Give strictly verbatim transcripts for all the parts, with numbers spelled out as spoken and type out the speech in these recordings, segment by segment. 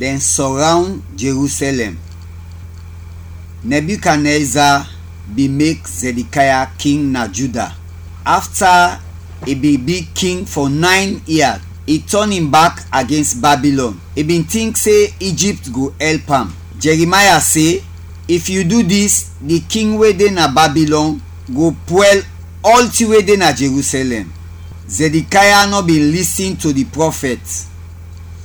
Dɛn sɔrawn Jerusalɛm. Nebukadneza bin mek Zedikaya king na Juda. Afta i bin bi king fɔ nayn ia, i tɔn in bak agens Babilɔn. I bin tink se Ijipt go ɛlp am. Jeremaya se, "If yu du dis, di king we de na Babilɔn go pwɛl ɔltin we de na Jerusalɛm." Zedikaya nɔ bin lisin to di prɔfɛt.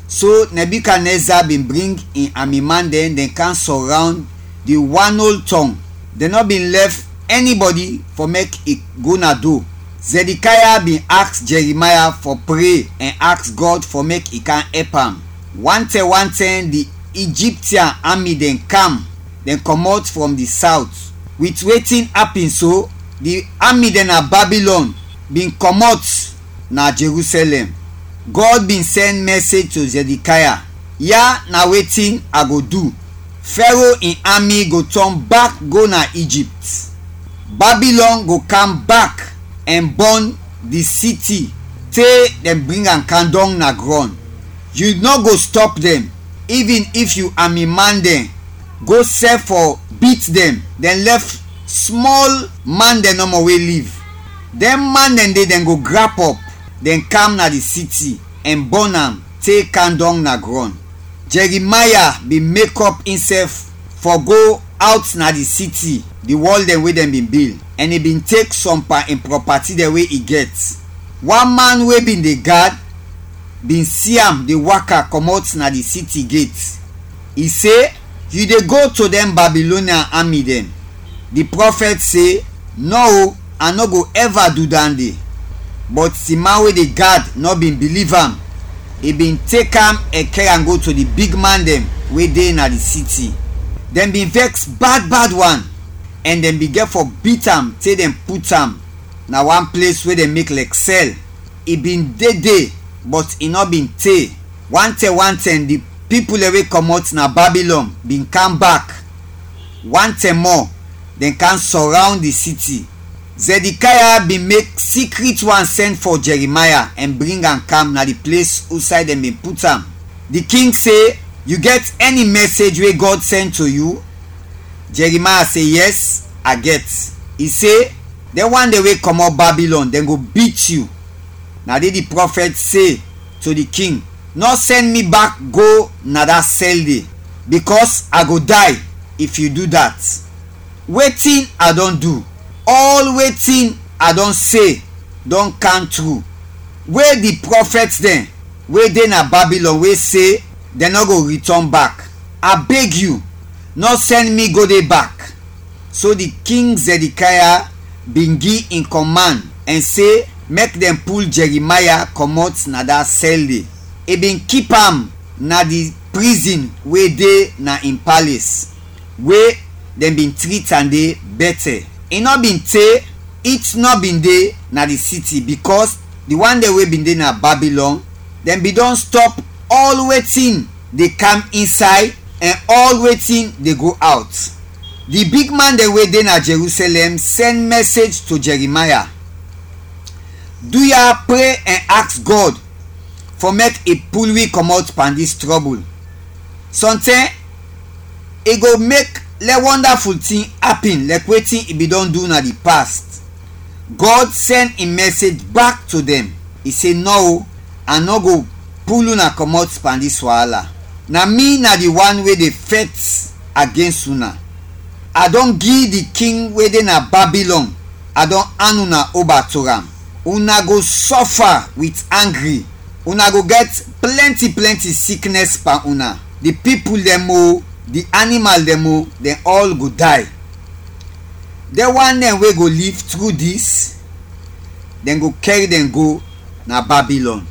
So Nebukadneza bin bring in amiman dɛn, dɛn kam sɔrawn di wan ol tɔng. Dɛn nɔ bin lɛf ɛnibɔdi fɔ mek i go na do. Zedikaya bin aks Jeremaya fɔ pre ɛn aks Gɔd fɔ mek i kam ɛp am. Wantɛm wantɛm di Ijiptian ami dɛn kam, dɛn kɔmɔt frɔm di sawt. Wit wetin apin so, di ami dɛn na Babilɔn bin kɔmɔt na Jerusalɛm. Gɔd bin sɛn mɛsej to Zedikaya, "Ya na wetin a go du. Fɛro in ami go tɔn bak go na Ijipt. Babilɔn go kam bak ɛn bɔn di siti te dɛn bring am kam dɔng na grɔn. Yu nɔ go stɔp dɛn, ivin if yu amiman dɛn go sɛf fɔ bit dɛn, dɛn lɛf smɔl man dɛn nɔmɔ we liv. Dɛn man dɛn de, dɛn go grap ɔp, dɛn kam na di siti ɛn bɔn am te kam dɔng na grɔn." Jeremaya bin mekɔp insɛf fɔ go awt na di siti, di wɔl dɛn we dɛn bin bil, ɛn i bin tek sɔm pan in prɔpati dɛn we i gɛt. Wan man we bin de gad bin si am de waka kɔmɔt na di siti get. I se, "Yu de go to dɛn Babilonian ami dɛn." Di prɔfɛt se, "Nɔ o, a nɔ go ɛva du dande." Bɔt di man we de gad nɔ bin biliv am. I bin tek am ɛn kɛr am go to di bigman dɛn we de na di siti. Dɛn bin vɛks bad bad wan, ɛn dɛn bin gɛt fɔ bit am te dɛn put am na wan ples we dɛn mek lɛk sɛl. I bin de de, bɔt i nɔ bin te. Wantɛm wantɛm di pipul dɛn we kɔmɔt na Babilɔn bin kam bak. Wantɛm mɔ, dɛn kam sɔrawn di siti. Zɛdikaya bin mek sikrit wan sɛn fɔ Jɛrimaya ɛn bring am kam na di ples usay dɛn bin put am. Di king se, "Yu gɛt ɛni mɛsej we Gɔd sɛn to yu?" Jɛrimaya se, "Yɛs, a gɛt." I se, "Dɛn wan dɛn we kɔmɔt Babilɔn, dɛn go bit yu." Na de di prɔfɛt se to di king, "Nɔ sɛn mi bak go na da sɛl de, bikɔs a go day if yu du dat. Wetin a dɔn du, ɔl wetin a dɔn se dɔn kam tru, we di prɔfɛt dɛn we de na Babilɔn we se dɛn nɔ go ritɔn bak. A beg yu, nɔ sɛn mi go de bak." So di king Zɛdikaya bin gi in kɔmand ɛn se mek dɛn pul Jɛrimaya kɔmɔt na da sɛl de. I bin kip am na di prizin we de na in pales, we dɛn bin trit am de bɛtɛ. I nɔ bin te, it nɔ bin de na di siti, bikɔs di wan dɛn we bin de na Babilɔn, dɛn bin dɔn stɔp ɔl wetin de kam insay ɛn ɔl wetin de go awt. Di bigman dɛn we de na Jerusalɛm sɛn mɛsej to Jɛrimaya, "Duya, pre ɛn aks Gɔd fɔ mek i pul wi kɔmɔt pan dis trɔbul. Sɔntɛm i go mek lɛ wɔndaful tin apin lɛk wetin i bin dɔn du na di past." Gɔd sɛn in mɛsej bak to dɛn. I se, "Nɔ o, a nɔ go pul una kɔmɔt pan dis waala. Na mi na di wan we de fɛt agens una. A dɔn gi di king we de na Babilɔn, a dɔn an una oba to am. Una go sɔfa wit angri, una go gɛt plɛnti plɛnti siknɛs pan una. Di pipul dɛn mo, di animal dɛn mo, dɛn ɔl go day. Dɛn wan dɛn we go liv tru dis, dɛn go kɛr dɛn go na Babilɔn."